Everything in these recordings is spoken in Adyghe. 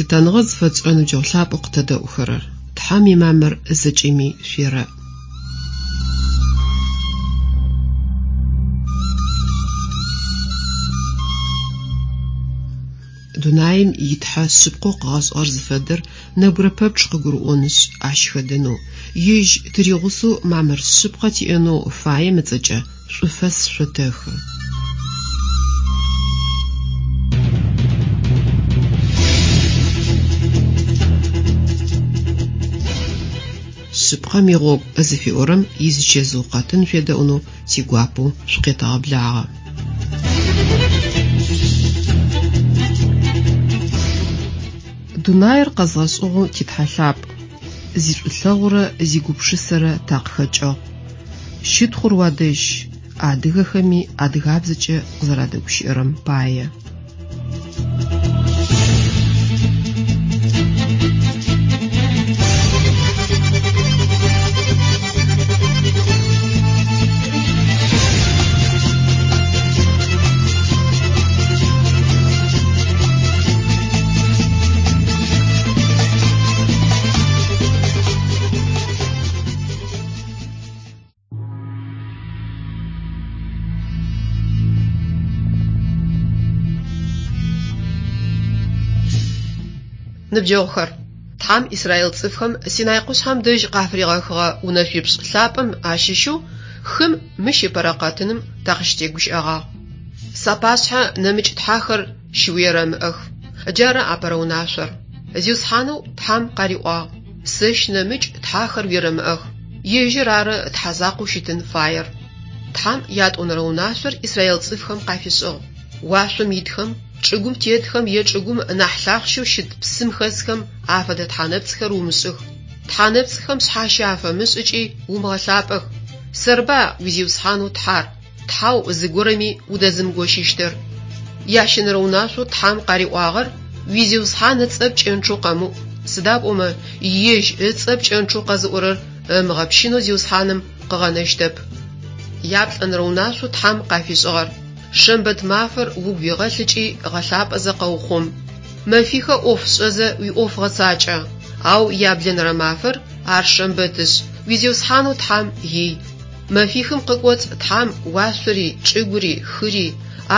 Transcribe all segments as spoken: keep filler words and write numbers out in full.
Лъытэныгъэ зыфэтшӏырэ ныбджэгъу лъапӏэу къытэдэӏухэрэр, Тхьэм имамыр зэкӏэми шъуерэӏ. Дунаим итхьэ шъыпкъэу къыгъэшӏыгъэр зыфэдэр нэбгырэ пэпчъ къыгурыӏонышъ, ащ хэдэнэу, ежь тыригъусэу мамыр шъыпкъэ тиӏэнэу фаем ыцӏэкӏэ шӏуфэс шъотэхы. Шъыпкъэм игъогу зыфиӏорэм изычэзыу къэтын шъуедэӏунэу тигуапэу шъукъетэгъэблагъэ. Дунаир къэзгъэшӏыгъэу титхьэ лъапӏ, зишӏулъэгъурэ зигупшысэрэ такъыхэкӏыгъ. Щытхъур уадэжь, адыгэхэми адыгабзэкӏэ къызэрадэгущыӏэрэм пае. Ныбджэгъухэр, Тхьэм Израил цӏыфхэм Синай къушъхьэм дэжь къафыригъэхыгъэ унэшъуипшӏ лъапӏэм ащыщэу хым мыщ ыпэрэ къэтыным такъыщытегущыӏэгъагъ. Сапашъхьэ нэмыкӏ тхьэхэр щыуерэмыӏэх. Джары апэрэ унашъор. Зиусхьанэу Тхьэм къариӏуагъ: Сэщ нэмыкӏ тхьэхэр уерэмыӏэх. Ежьыр ары Тхьэ закъоу щытын фаер. Тхьэм ятӏонэрэ унашъор Израил цӏыфхэм къафишӏыгъ. Уашъом итхэм, чӏыгум тетхэм е чӏыгум нахь лъахъщэу щыт псым хэсхэм афэдэ тхьэнэпцӏхэр умышӏых. Тхьэнэпцӏхэм шъхьащэ афэмышӏ ыкӏи умыгъэлъапӏэх. Сэрба уи Зиусхьанэу Тхьэр, Тхьэу зыгорэми удэзымыгощыщтыр. Ящэнэрэ унашъоу Тхьэм къариӏуагъэр уи Зиусхьан ыцӏэ пкӏэнчъэу къэмыӏу, сыда пӏомэ ежь ыцӏэ пкӏэнчъэу къэзыӏорэр ымыгъэпщынэу Зиусхьаным къыгъэнэщтэп. Яплӏэнэрэ унашъоу Тхьэм къафишӏыгъэр шэмбэт мафэр угу игъэлъ ыкӏи гъэлъапӏэзэ къэухъум. Мэфихэ ӏоф шӏэзэ уиӏоф гъэцакӏэ, ау яблэнэрэ мафэр ар шэмбэтышъ, уи Зиусхьанэу Тхьэм ий. Мэфихым къыкӏоцӏ Тхьэм уашъори, чӏыгури, хыри,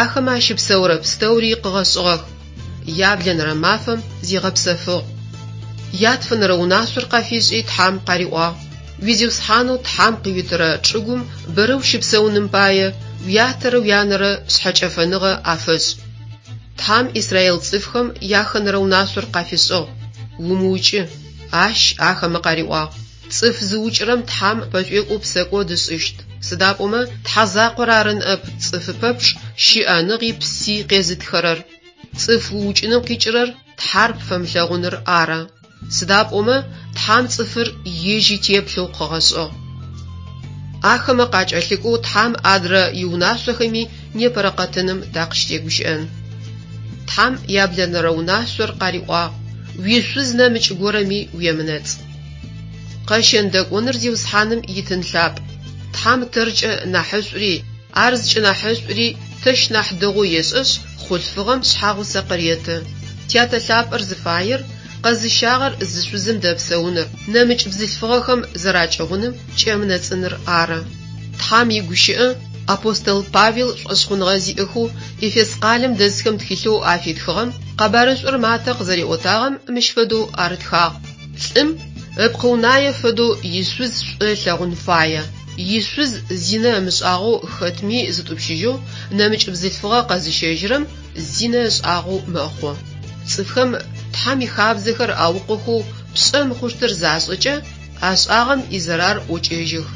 ахэмэ ащыпсэурэ пстэури къыгъэшӏыгъэх. Яблэнэрэ мафэм зигъэпсэфыгъ. Ятфэнэрэ унашъор къафишӏи Тхьэм къариӏуагъ: уи Зиусхьанэу Тхьэм къыуитырэ чӏыгум бэрэ ущыпсэуным пае уятэрэ уянэрэ шъхьэкӏэфэныгъэ афэшӏ. Тхьэм Израил цӏыфхэм яхэнэрэ унашъор къафишӏыгъ: умыукӏы. Ащ ахэмэ къариӏуагъ: цӏыф зыукӏырэм Тхьэм пэшӏуекӏоу псэкӏод ышӏыщт. Сыда пӏомэ Тхьэ закъор ары ныӏэп цӏыфы пэпчъ щыӏэныгъи пси къезытхэрэр. Цӏыф уукӏыным къикӏырэр Тхьэр пфэмылъэгъуныр ары. Сыда пӏомэ Тхьэм цӏыфыр ежь итеплъэу къыгъэшӏыгъ. Ахэмэ къакӏэлъыкӏоу Тхьэм адрэ иунашъохэми непэрэ къэтыным такъыщытегущыӏэн. Тхьэм яблэнэрэ унашъор къариӏуагъ: уишъуз нэмыкӏ горэми уемынэцӏ. Къэщэн-дэкӏоныр Зиусхьаным итын лъапӏ. Тхьэм тэркӏэ нахьышӏури, ар зыкӏынахьышӏури тэщ нахь дэгъоу ешӏэшъ, хъулъфыгъэм шъхьагъусэ къыреты. Тятэ лъапӏэр зыфаер, къэзыщагъэр зы шъузым дэпсэуныр, нэмыкӏ бзылъфыгъэхэм зэракӏыгъуным кӏэмынэцӏыныр ары. Тхьэм игущыӏэ апостол Павел шӏошъхъуныгъэ зиӏэхэу Эфес къалэм дэсхэм тхылъэу афитхыгъэм къэбарышӏур Матэ къызэриӏотагъэм мыщ фэдэу арытхагъ: лӏым ыпкъыунае фэдэу ишъуз шӏу ылъэгъун фае. Ишъуз зинэ ымышӏагъэу хэтми зытӏупщыжьэу нэмыкӏ бзылъфыгъэ къэзыщэжьырэм зинэ ышӏагъэу мэхъу. Цӏыфхэм Тхьэм ихабзэхэр аукъохэу пшӏэ мыхъущтыр зашӏэкӏэ, ашӏагъэм изэрар ӏокӏэжьых.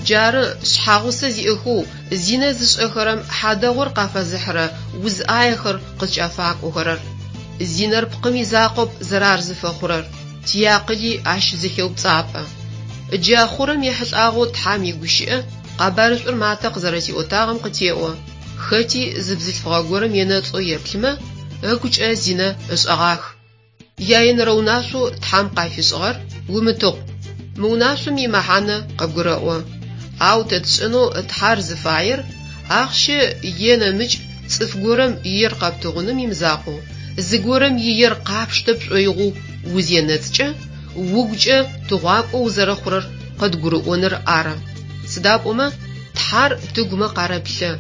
Джары шъхьагъусэ зиӏэхэу зинэ зышӏэхэрэм хьадэгъур къафэзыхьырэ уз ӏаехэр къызкӏафакӏохэрэр. Зинэр пкъым изакъоп зэрар зыфэхъурэр, тиакъыли ащ зэхеупцӏапӏэ. Джа хъурэм ехьылӏагъэу Тхьэм игущыӏэ къэбарышӏур Матэ къызэрэтиӏотагъэм къытеӏо: хэти зы бзылъфыгъэ горэм енэцӏэу еплъымэ, ыгукӏэ зинэ ышӏэгъах. Яенэрэ унашъоу Тхьэм къафишӏыгъэр умытыгъу. Мы унашъом имэхьанэ къыбгурэӏо. Ау тэ тшӏэнэу Тхьэр зыфаер ахъщэ е нэмыкӏ цӏыф горэм иер къэптыгъуным имызакъоу, Зыгорэм иер къапштэ пшӏоигъоу узенэцӏыкӏэ, угукӏэ тыгъуакӏо узэрэхъурэр къыдгурыӏоныр ары. Сыда пӏомэ Тхьэр тыгумэ къарэплъэ,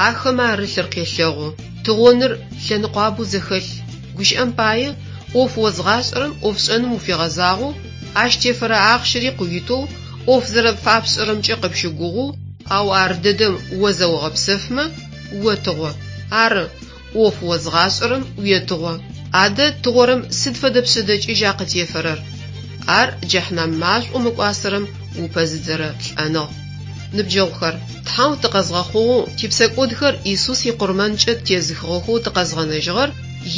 ахэмэ арылъыр къелъэгъу. Тыгъоныр лъэныкъуабэу зэхэлъ. Гущыӏэм пае, ӏоф озгъашӏэрэм ӏофшӏэным уфигъэзагъэу, ащ тефэрэ ахъщэри къыуитэу, ӏоф зэрэфапшӏэрэмкӏэ къыпщыгугъэу, ау ар дэдэм о зэогъэпсэфмэ, отыгъо. Ары, ӏоф озгъашӏэрэм уетыгъо. Адэ тыгъорэм сыд фэдэ пшъэдэкӏыжьа къытефэрэр? Ар джэхьнам машӏоу мыкӏуасэрэм упэзыдзэрэ лӏэныгъ. Ныбджэгъухэр, Тхьэу тыкъэзгъэхъугъэу, типсэкӏодхэр Исус икъурмэнкӏэ тезыхыгъэхэу тыкъэзгъэнэжьыгъэр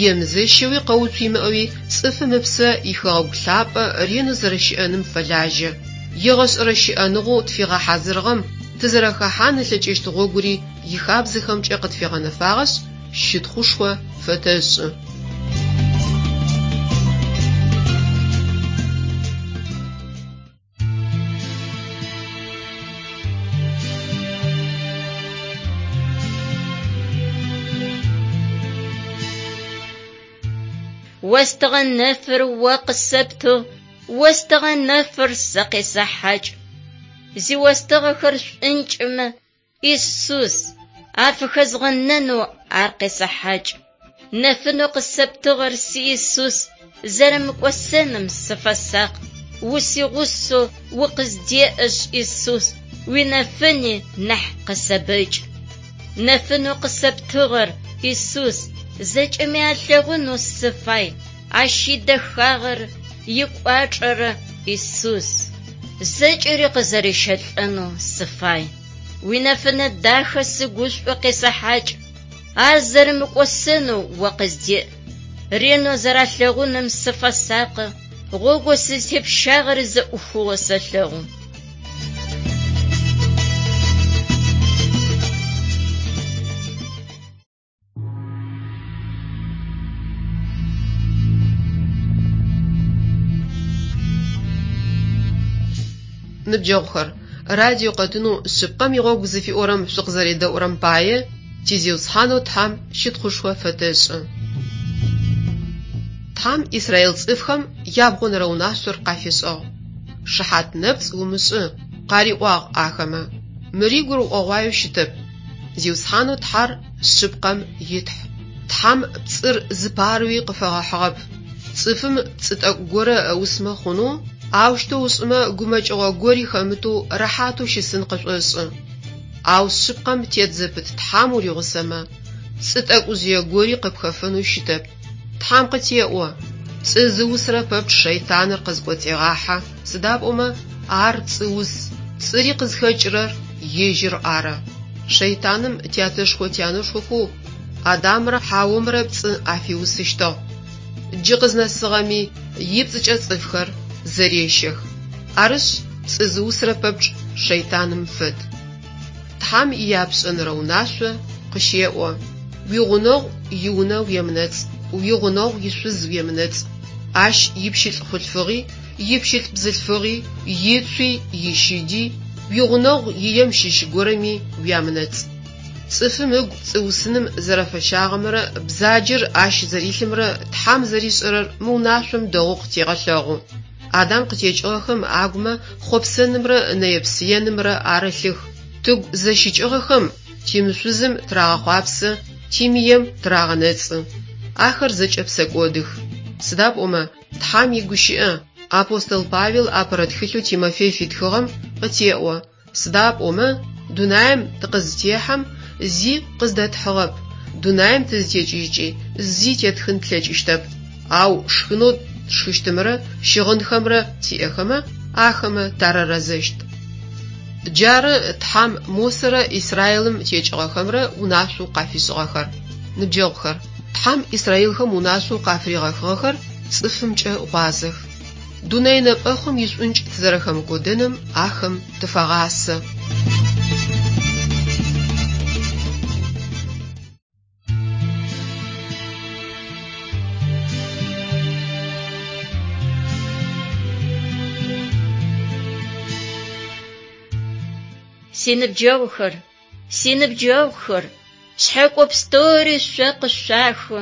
емызэщэуи къэуцу имыӏэуи цӏыфым ыпсэ ихэгъэгу лъапӏэ ренэу зэрэщыӏэным фэлажьэ. Егъэшӏэрэ щыӏэныгъэу тфигъэхьазырыгъэм тызэрэхэхьан ылъэкӏыщт гъогури ихабзэхэмкӏэ къытфигъэнэфагъэшъ, щытхъушхо фэтэшӏы. Остыгъэ нэфыр о къысэптыгъ, остыгъэ нэфыр сэ къесэхьакӏ. Зиостыгъэхэр шӏункӏымэ, Исус, афыхэзгъэнэнэу ар къесэхьакӏ. Нэфынэу къысэптыгъэр си Исус, зэрэмыкӏосэным сыфэсакъ. Усигъусэу укъыздеӏэшъ, Исус, уинэфыни нахь къысэбэкӏ. Нэфынэу къысэптыгъэр, Исус, зэкӏэми алъэгъунэу сыфай, ащ идэхагъэр икӏуачӏэрэ Исус. Зэкӏэри къызэрищэлӏэнэу сыфай. Уинэфынэ дахэ сыгушӏо къесэхьакӏ. Ар зэрэмыкӏосэнэу о къыздеӏ. Ренэу зэралъэгъуным сыфэсакъы, гъогоу сызтепщагъэр зэӏухыгъэу сэлъэгъу. Ныбджэгъухэр, радио къэтынэу шъыпкъэм игъогу зыфиӏорэм шъукъызэредэӏурэм пае ти Зиусхьанэу Тхьэм щытхъушхо фэтэшӏы. Тхьэм Израил цӏыфхэм ябгъонэрэ унашъор къафишӏыгъ. Шыхьат нэпцӏ умышӏы, къариӏуагъ ахэмэ. Мыри гурыӏогъуаеу щытэп. Зиусхьанэу Тхьэр шъыпкъэм итхь. Тхьэм пцӏыр зыпарэуи къыфэгъэхьыгъэп. Цӏыфым пцӏы тӏэкӏу горэ ыусмэ хъунэу, аущтэу ышӏымэ гумэкӏыгъо гори хэмытэу рэхьатэу щысын къышӏошӏы. Ау шъыпкъэм тет зэпыт Тхьэм уригъусэмэ, пцӏы тӏэкӏужъые гори къыпхэфэнэу щытэп. Тхьэм къытеӏо: пцӏы зыусырэ пэпчъ шэйтаныр къызкӏоцӏегъахьэ, сыда пӏомэ ар пцӏыус, пцӏыри къызхэкӏырэр ежьыр ары. Шэйтаным тятэшхо-тянэшхохэу Адамрэ Хьаомрэ пцӏы афиусыщтыгъ. Джы къызнэсыгъэми ипцӏыкӏэ цӏыфхэр зэрещэх. Арышъ, пцӏы зыусырэ пэпчъ шэйтаным фэд. Тхьэм ияпшӏэнэрэ унашъо къыщеӏо: уигъунэгъу иунэ уемынэцӏ, уигъунэгъу ишъуз уемынэцӏ. Ащ ипщылӏ хъулъфыгъи, ипщылӏ бзылъфыгъи, ицуи, ищыди, уигъунэгъу ием щыщ горэми уямынэцӏ. Цӏыфым ыгу пцӏыусыным зэрэфэщагъэмрэ бзаджэр ащ зэрилъымрэ Тхьэм зэришӏэрэр мы унашъом дэгъоу къытегъэлъэгъу. Адам къытекӏыгъэхэм агумэ хъопсэнымрэ нэе-псыенымрэ арылъых. Тыгу зэщыкӏыгъэхэм тимышъузым тырагъэхъуапсэ, тимыем тырагъэнэцӏы. Ахэр зэкӏэ псэкӏодых. Сыда пӏомэ Тхьэм игущыӏэ апостол Павел апэрэ тхылъэу Тимофей фитхыгъэм къытеӏо: сыда пӏомэ дунаим тыкъызытехьэм зи къыздэтхьыгъэп, дунаим тызытекӏыжькӏи зи тетхын тлъэкӏыщтэп. Ау шхынэу тшхыщтымрэ щыгъынхэмрэ тиӏэхэмэ, ахэмэ тарэрэзэщт. Джары Тхьэм Мосэрэ Израилым текӏыгъэхэмрэ унашъоу къафишӏыгъэхэр. Ныбджэгъухэр, Тхьэм Израилхэм унашъоу къафыригъэхыгъэхэр цӏыфымкӏэ гъуазэх. Дунэе нэпӏэхъум ишӏункӏ тызэрэхэмыкӏодэным ахэм тыфагъасэ. Синыбджэгъухэр, синыбджэгъухэр, шъхьэкӏо пстэури шъо къышъуахы,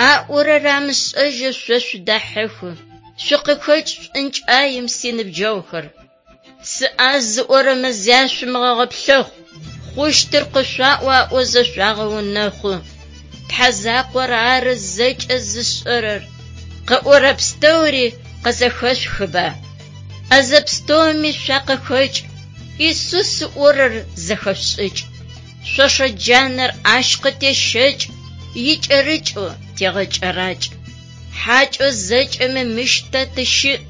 Аӏорэр амышӏэжьэу шъо шъудахьыхы, шъукъыхэкӏ шӏункӏаем, синыбджэгъухэр. Сыӏаз зыӏорэмэ зяшъумыгъэгъэплъэхъу, хъущтыр къышъуаӏо аӏозэ шъуагъэунэхъу. Тхьэ закъор ары зэкӏэ зышӏэрэр, къыӏорэ пстэури къызэхэшъухыба? ӏэзэ пстэуми шъуакъыхэкӏ, Исус ыӏорэр зэхэшъушӏыкӏ. Шъошэ джанэр ащ къытещэкӏ, икӏэрыкӏэу тегъэкӏэракӏ. Хьакӏэу зэкӏэми мыщ тэ тыщыӏ,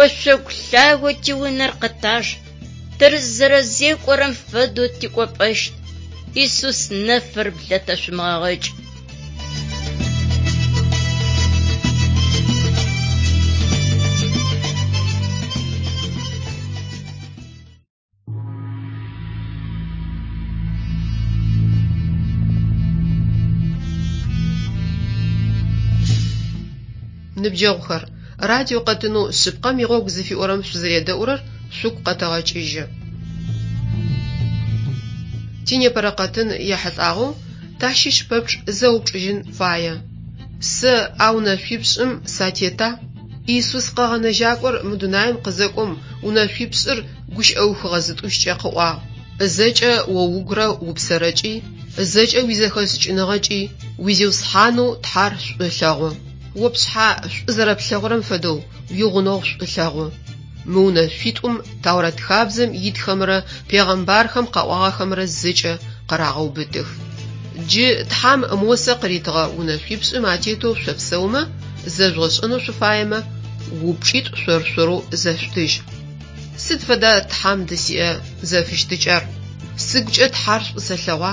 ошъогу лъагэу тиунэр къытаж, тызэрэзекӏорэм фэдэу тикӏопӏэщт, Исус нэфыр блэтэшъумыгъэгъэкӏ. Ныбджэгъухэр, радио къэтынэу «Шъыпкъэм игъогу» зыфиӏорэм шъузэредэӏурэр шъугу къэтэгъэкӏыжьы. Тинепэрэ къэтын ехьылӏагъэу тащыщ пэпчъ зэупчӏыжьын фае: Сэ а унэшъуипшӏым сатета? Иисус Къэгъэнэжьакӏор мы дунаим къызэкӏом унэшъуипшӏыр гущыӏэухыгъэ зытӏущкӏэ къыӏуагъ: «Зэкӏэ о угурэ упсэрэкӏи, зэкӏэ уизэхэшӏыкӏыныгъэкӏи уи Зиусхьанэу Тхьэр шӏу лъэгъу. О пшъхьэ шӏу зэрэплъэгъурэм фэдэу уигъунэгъу шӏу лъэгъу». Мы унэшъуитӏум Тэурат хабзэм итхэмрэ пегъэмбархэм къаӏуагъэхэмрэ зэкӏэ къырагъэубытых. Джы Тхьэм Мосэ къыритыгъэ унэшъуипшӏым атетэу шъопсэумэ, зэжъугъэшӏэнэу шъуфаемэ, упчӏитӏу шъор-шъорэу зэшъутыжь. Сыд фэда Тхьэм дысиӏэ зэфыщытыкӏэр? Сыгукӏэ Тхьэр шӏу сэлъэгъуа?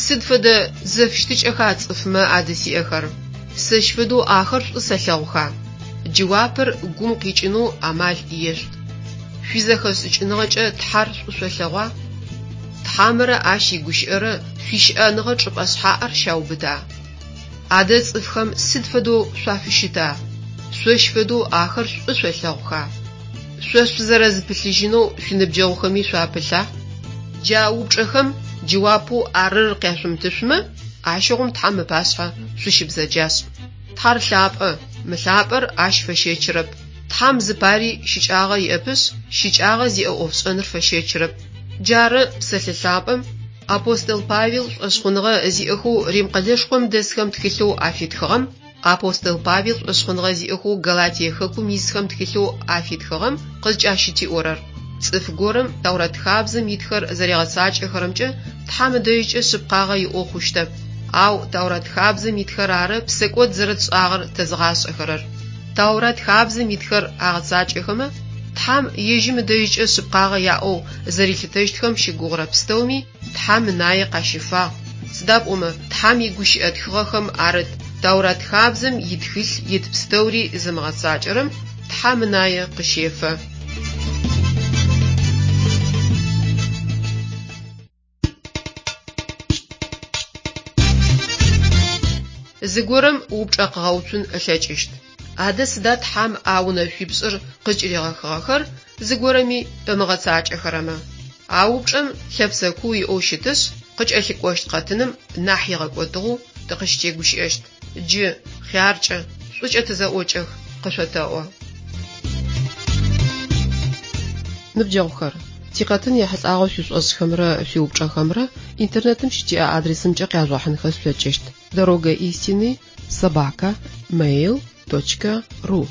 Сыд фэдэ зэфыщытыкӏэха цӏыфмэ адысиӏэхэр? Сэщ фэдэу ахэр шӏу сэлъэгъуха? Джэуапыр гум къикӏынэу амал ешъут. Шъуизэхэшӏыкӏыныгъэкӏэ Тхьэр шӏу шъолъэгъуа? Тхьэмрэ ащ игущыӏэрэ шъуищыӏэныгъэ чӏыпӏэ шъхьаӏэр щаубыта? Адэ цӏыфхэм сыд фэдэу шъуафыщыта? Шъощ фэдэу ахэр шӏу шъолъэгъуха? Шъо шъузэрэзыпылъыжьынэу шъуиныбджэгъухэми шъуапылъа? Джа упчӏэхэм джэуапэу арыр къяшъумытышъумэ, ащыгъум Тхьэм ыпашъхьэ шъущыбзэджашӏ. Тхьэр лъапӏэ, мылъапӏэр ащ фэщэчырэп. Тхьэм зыпари щыкӏагъэ иӏэпышъ, щыкӏагъэ зиӏэ ӏофшӏэныр фэщэчырэп. Джары псэлъэ лъапӏэм апостол Павел шӏошъхъуныгъэ зиӏэхэу Рим къэлэшхом дэсхэм тхылъэу афитхыгъэм, апостол Павел шӏошъхъуныгъэ зиӏэхэу Галатие хэкум исхэм тхылъэу афитхыгъэм къызкӏащытиӏорэр. Цӏыф горэм Тэурат хабзэм итхэр зэригъэцакӏэхэрэмкӏэ Тхьэм ыдэжькӏэ шъыпкъагъэ иӏэу хъущтэп. Ау Тэурат хабзэм итхэр ары псэкӏод зэрэтшӏагъэр тэзыгъашӏэхэрэр. Тэурат хабзэм итхэр агъэцакӏэхэмэ, Тхьэм ежьым ыдэжькӏэ шъыпкъагъэ яӏэу зэрилъытэщтхэм щыгугъырэ пстэуми Тхьэм ынае къащифагъ. Сыда пӏомэ Тхьэм игущыӏэ тхыгъэхэм арыт Тэурат хабзэм итхылъ ит пстэури зымыгъэцакӏэрэм Тхьэм ынае къыщефэ. Зыгорэм упчӏэ къыгъэуцун ылъэкӏыщт: Адэ сыда Тхьэм а унэшъуипшӏыр къызкӏыригъэхыгъэхэр зыгорэми ымыгъэцакӏэхэрэмэ? А упчӏэм лъэпсэ куу иӏэу щытышъ, къыкӏэлъыкӏощт къэтыным нахь игъэкӏотыгъэу тыкъыщытегущыӏэщт. Джы, хъяркӏэ, шӏукӏэ тызэӏокӏэх, къышъотэӏо. Ныбджэгъухэр, тикъэтын ехьылӏагъэу шъуишӏошӏхэмрэ шъуиупчӏэхэмрэ интернетым щытиӏэ адресымкӏэ къяжъугъэхьынхэ шъулъэкӏыщт: дорога истины собака mail точка ру.